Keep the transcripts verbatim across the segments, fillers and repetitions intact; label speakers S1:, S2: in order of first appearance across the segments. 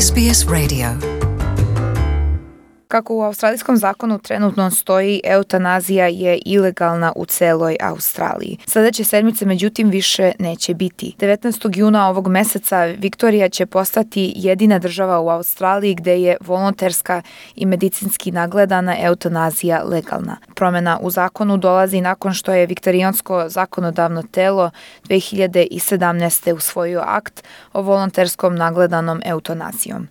S1: S B S Radio. Kako u australijskom zakonu trenutno stoji, eutanazija je ilegalna u celoj Australiji. Sledeće sedmice, međutim, više neće biti. devetnaestog juna ovog meseca Viktorija će postati jedina država u Australiji gde je volonterska i medicinski nagledana eutanazija legalna. Promena u zakonu dolazi nakon što je viktorijansko zakonodavno telo dve hiljade sedamnaeste. usvojio akt o volonterskom nagledanom eutanazijom.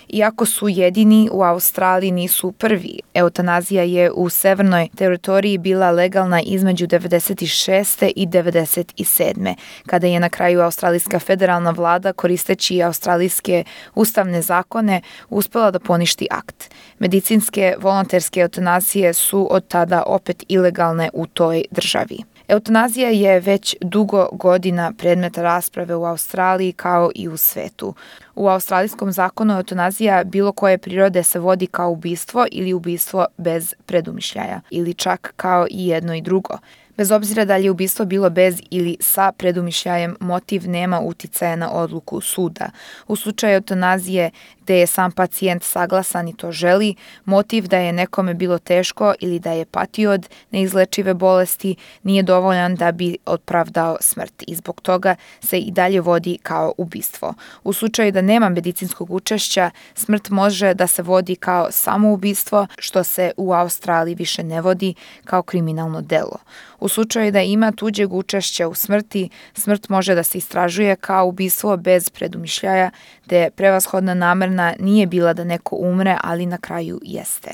S1: Iako su jedini, u Australiji nisu prvi. Eutanazija je u severnoj teritoriji bila legalna između devedeset šeste. i devedeset sedme. kada je na kraju australijska federalna vlada, koristeći australijske ustavne zakone, uspela da poništi akt. Medicinske volonterske eutanazije su od tada opet ilegalne u toj državi. Eutanazija je već dugo godina predmet rasprave u Australiji kao i u svetu. U australijskom zakonu eutanazija bilo koje prirode se vodi kao ubistvo ili ubistvo bez predumišljaja, ili čak kao i jedno i drugo. Bez obzira da li je ubistvo bilo bez ili sa predumišljajem, motiv nema uticaja na odluku suda. U slučaju eutanazije gde je sam pacijent saglasan i to želi, motiv da je nekome bilo teško ili da je patio od neizlečive bolesti nije dovoljan da bi opravdao smrt i zbog toga se i dalje vodi kao ubistvo. U slučaju da nema medicinskog učešća, smrt može da se vodi kao samoubistvo, što se u Australiji više ne vodi kao kriminalno delo. U slučaju da ima tuđeg učešća u smrti, smrt može da se istražuje kao ubistvo bez predumišljaja, gde prevashodna namerna nije bila da neko umre, ali na kraju jeste.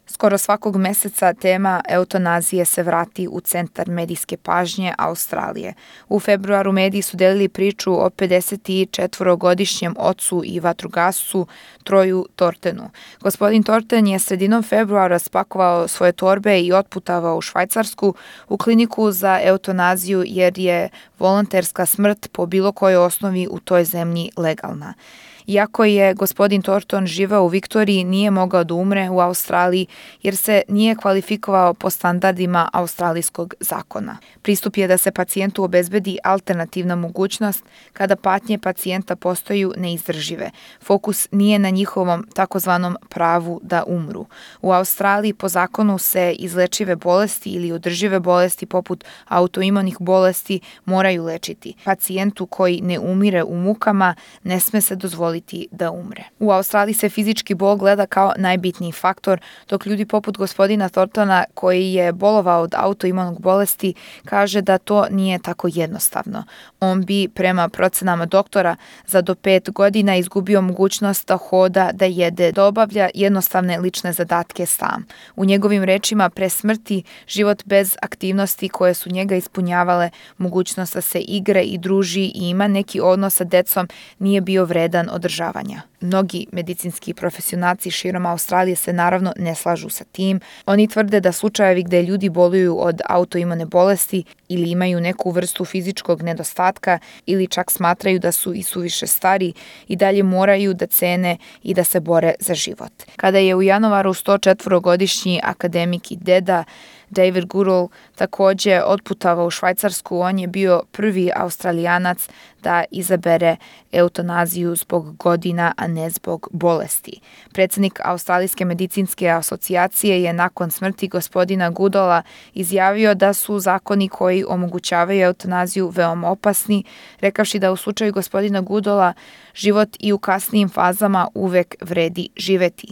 S1: Skoro svakog meseca tema eutanazije se vrati u centar medijske pažnje Australije. U februaru mediji su delili priču o pedesetčetvorogodišnjem ocu i vatrogascu Troju Tortenu. Gospodin Torten je sredinom februara spakovao svoje torbe i otputavao u Švajcarsku u kliniku za eutanaziju jer je volonterska smrt po bilo kojoj osnovi u toj zemlji legalna. Iako je gospodin Torton živeo u Viktoriji, nije mogao da umre u Australiji jer se nije kvalifikovao po standardima australijskog zakona. Pristup je da se pacijentu obezbedi alternativna mogućnost kada patnje pacijenta postaju neizdržive. Fokus nije na njihovom takozvanom pravu da umru. U Australiji po zakonu se izlečive bolesti ili održive bolesti poput autoimunih bolesti moraju lečiti. Pacijentu koji ne umire u mukama ne sme se dozvoliti da umre. U Australiji se fizički bol gleda kao najbitniji faktor, dok ljudi poput gospodina Tortona, koji je bolovao od autoimunog bolesti, kaže da to nije tako jednostavno. On bi, prema procenama doktora, za do pet godina izgubio mogućnost da hoda, da jede, da obavlja jednostavne lične zadatke sam. U njegovim rečima, pre smrti, život bez aktivnosti koje su njega ispunjavale, mogućnost da se igre i druži i ima neki odnos sa decom, nije bio vredan od održavanja. Mnogi medicinski profesionalci širom Australije se naravno ne slažu sa tim. Oni tvrde da slučajevi gde ljudi boluju od autoimune bolesti ili imaju neku vrstu fizičkog nedostatka ili čak smatraju da su i suviše stari i dalje moraju da cene i da se bore za život. Kada je u januaru sto četvorogodišnji akademik i deda David Goodall takođe otputavao u Švajcarsku, on je bio prvi Australijanac da izabere eutanaziju zbog godina, a ne zbog bolesti. Predsednik Australijske medicinske asocijacije je nakon smrti gospodina Goodalla izjavio da su zakoni koji omogućavaju eutanaziju veoma opasni, rekavši da u slučaju gospodina Goodalla život i u kasnijim fazama uvek vredi živeti.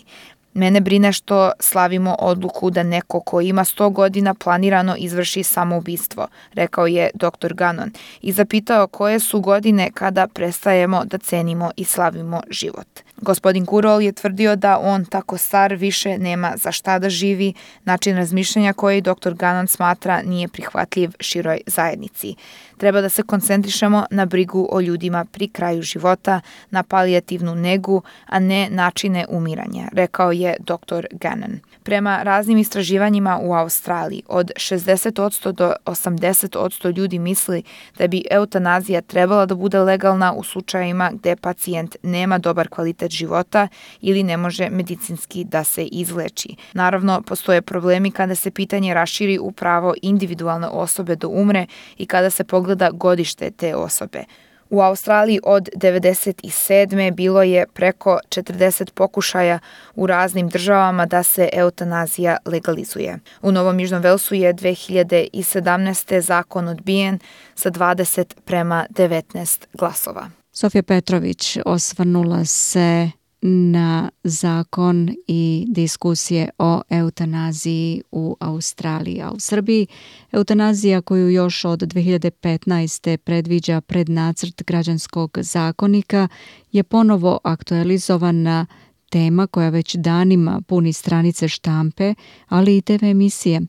S1: Mene brine što slavimo odluku da neko ko ima sto godina planirano izvrši samoubistvo, rekao je doktor Gannon i zapitao koje su godine kada prestajemo da cenimo i slavimo život. Gospodin Goodall je tvrdio da on tako star više nema za šta da živi, način razmišljanja koji doktor Gannon smatra nije prihvatljiv široj zajednici. Treba da se koncentrišemo na brigu o ljudima pri kraju života, na palijativnu negu, a ne načine umiranja, rekao je doktor Gannon. Prema raznim istraživanjima u Australiji, od šezdeset posto do osamdeset posto ljudi misli da bi eutanazija trebala da bude legalna u slučajevima gde pacijent nema dobar kvalitet života ili ne može medicinski da se izleči. Naravno, postoje problemi kada se pitanje raširi u pravo individualne osobe da umre i kada se pogleda godište te osobe. U Australiji od devedeset sedme bilo je preko četrdeset pokušaja u raznim državama da se eutanazija legalizuje. U Novom Južnom Velsu je dve hiljade sedamnaeste. zakon odbijen sa dvadeset prema devetnaest glasova.
S2: Sofija Petrović osvrnula se na zakon i diskusije o eutanaziji u Australiji, a u Srbiji eutanazija koju još od dve hiljade petnaeste. predviđa prednacrt građanskog zakonika je ponovo aktualizovana tema koja već danima puni stranice štampe, ali i te ve emisije.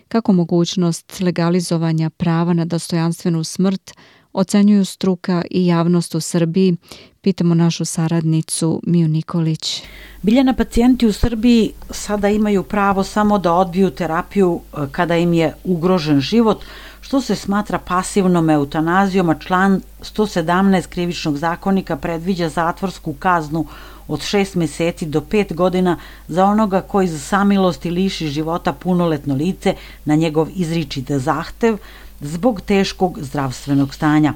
S2: Kako mogućnost legalizovanja prava na dostojanstvenu smrt ocenjuju struka i javnost u Srbiji, pitamo našu saradnicu Miju Nikolić.
S3: Biljana, pacijenti u Srbiji sada imaju pravo samo da odbiju terapiju kada im je ugrožen život, što se smatra pasivnom eutanazijom, a član sto sedamnaest krivičnog zakonika predviđa zatvorsku kaznu od šest meseci do pet godina za onoga koji za samilosti liši života punoletno lice na njegov izričit zahtev zbog teškog zdravstvenog stanja.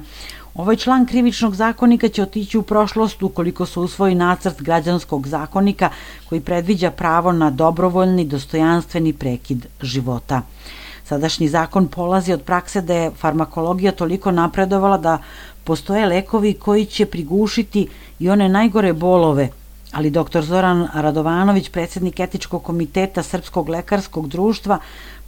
S3: Ovaj član krivičnog zakonika će otići u prošlost ukoliko se usvoji nacrt građanskog zakonika koji predviđa pravo na dobrovoljni, dostojanstveni prekid života. Sadašnji zakon polazi od prakse da je farmakologija toliko napredovala da postoje lekovi koji će prigušiti i one najgore bolove, ali doktor Zoran Radovanović, predsjednik etičkog komiteta Srpskog lekarskog društva,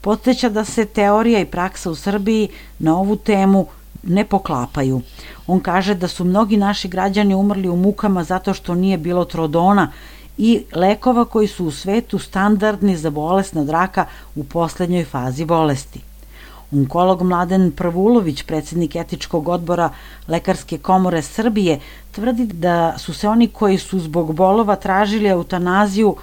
S3: podsjeća da se teorija i praksa u Srbiji na ovu temu ne poklapaju. On kaže da su mnogi naši građani umrli u mukama zato što nije bilo trodona i lekova koji su u svetu standardni za bolest od raka u poslednjoj fazi bolesti. Onkolog Mladen Prvulović, predsjednik etičkog odbora Lekarske komore Srbije, tvrdi da su se oni koji su zbog bolova tražili eutanaziju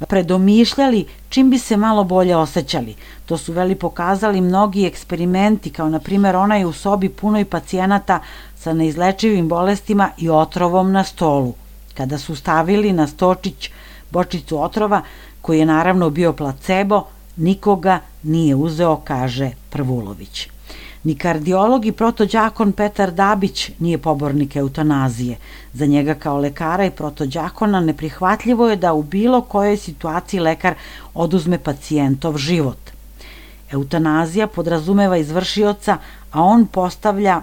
S3: predomišljali čim bi se malo bolje osjećali. To su veli pokazali mnogi eksperimenti, kao na primjer onaj u sobi punoj pacijenata sa neizlečivim bolestima i otrovom na stolu. Kada su stavili na stočić bočicu otrova, koji je naravno bio placebo, nikoga nije uzeo, kaže Prvulović. Ni kardiolog i protođakon Petar Dabić nije pobornik eutanazije. Za njega kao lekara i protođakona neprihvatljivo je da u bilo kojoj situaciji lekar oduzme pacijentov život. Eutanazija podrazumeva izvršioca, a on postavlja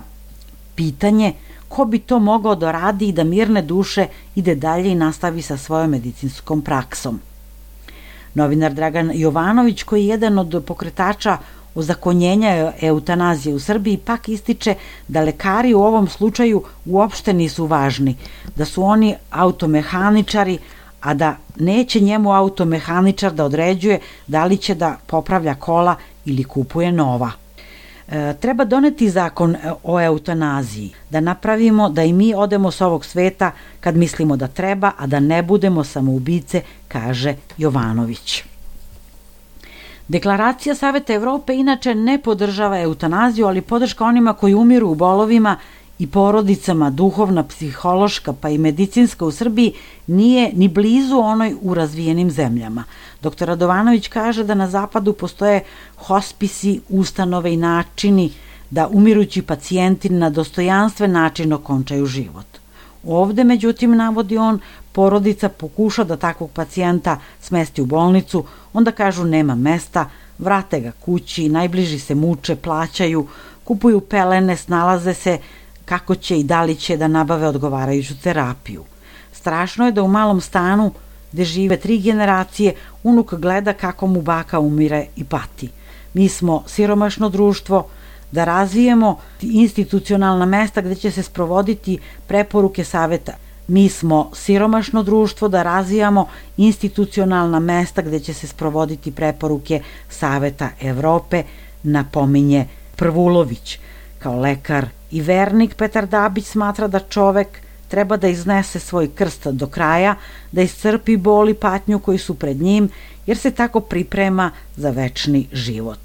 S3: pitanje ko bi to mogao da radi i da mirne duše ide dalje i nastavi sa svojom medicinskom praksom. Novinar Dragan Jovanović, koji je jedan od pokretača ozakonjenja eutanazije u Srbiji, pak ističe da lekari u ovom slučaju uopšte nisu važni, da su oni automehaničari, a da neće njemu automehaničar da određuje da li će da popravlja kola ili kupuje nova. E, treba doneti zakon o eutanaziji, da napravimo da i mi odemo s ovog sveta kad mislimo da treba, a da ne budemo samoubice, kaže Jovanović. Deklaracija Saveta Evrope inače ne podržava eutanaziju, ali podrška onima koji umiru u bolovima i porodicama, duhovna, psihološka pa i medicinska u Srbiji nije ni blizu onoj u razvijenim zemljama. doktor Radovanović kaže da na zapadu postoje hospisi, ustanove i načini da umirući pacijenti na dostojanstven način okončaju život. Ovde, međutim, navodi on, porodica pokuša da takvog pacijenta smesti u bolnicu, onda kažu nema mesta, vrate ga kući, najbliži se muče, plaćaju, kupuju pelene, snalaze se kako će i da li će da nabave odgovarajuću terapiju. Strašno je da u malom stanu gde žive tri generacije, unuk gleda kako mu baka umire i pati. Mi smo siromašno društvo, da razvijemo institucionalna mesta gde će se sprovoditi preporuke saveta. Mi smo siromašno društvo, da razvijamo institucionalna mesta gde će se sprovoditi preporuke Saveta Evrope, napominje Prvulović. Kao lekar i vernik, Petar Dabić smatra da čovek treba da iznese svoj krst do kraja, da iscrpi bol i patnju koji su pred njim, jer se tako priprema za večni život.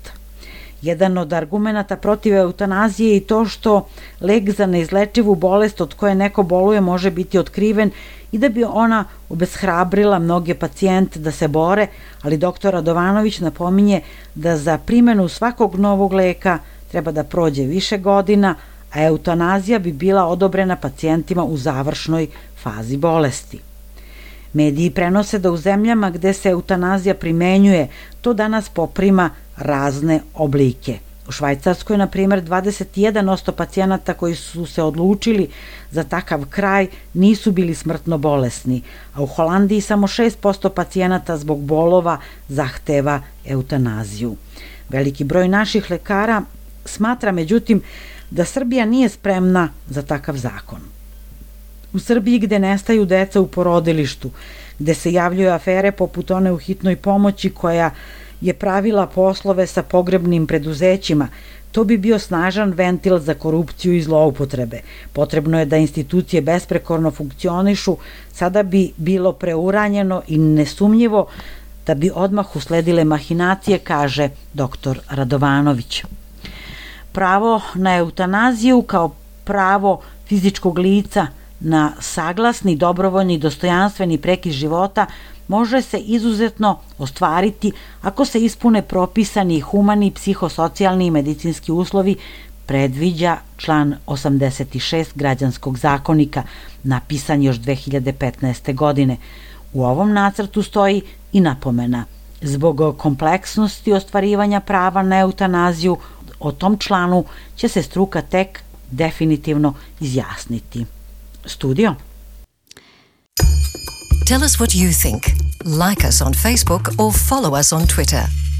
S3: Jedan od argumenata protiv eutanazije je i to što lek za neizlečivu bolest od koje neko boluje može biti otkriven i da bi ona obeshrabrila mnoge pacijente da se bore, ali doktor Radovanović napominje da za primjenu svakog novog leka treba da prođe više godina, a eutanazija bi bila odobrena pacijentima u završnoj fazi bolesti. Mediji prenose da u zemljama gde se eutanazija primenjuje, to danas poprima razne oblike. U Švajcarskoj, na primjer, dvadeset jedan posto pacijenata koji su se odlučili za takav kraj nisu bili smrtno bolesni, a u Holandiji samo šest posto pacijenata zbog bolova zahteva eutanaziju. Veliki broj naših lekara smatra, međutim, da Srbija nije spremna za takav zakon. U Srbiji, gde nestaju deca u porodilištu, gde se javljaju afere poput one u hitnoj pomoći koja je pravila poslove sa pogrebnim preduzećima, to bi bio snažan ventil za korupciju i zloupotrebe. Potrebno je da institucije besprekorno funkcionišu, sada bi bilo preuranjeno i nesumnjivo da bi odmah usledile mahinacije, kaže doktor Radovanović. Pravo na eutanaziju kao pravo fizičkog lica na saglasni, dobrovoljni, dostojanstveni prekid života može se izuzetno ostvariti ako se ispune propisani humani, psihosocijalni i medicinski uslovi, predviđa član osamdeset šest Građanskog zakonika, napisan još dve hiljade petnaeste. godine. U ovom nacrtu stoji i napomena. Zbog kompleksnosti ostvarivanja prava na eutanaziju, o tom članu će se struka tek definitivno izjasniti. Studio.
S4: Tell us what you think. Like us on Facebook or follow us on Twitter.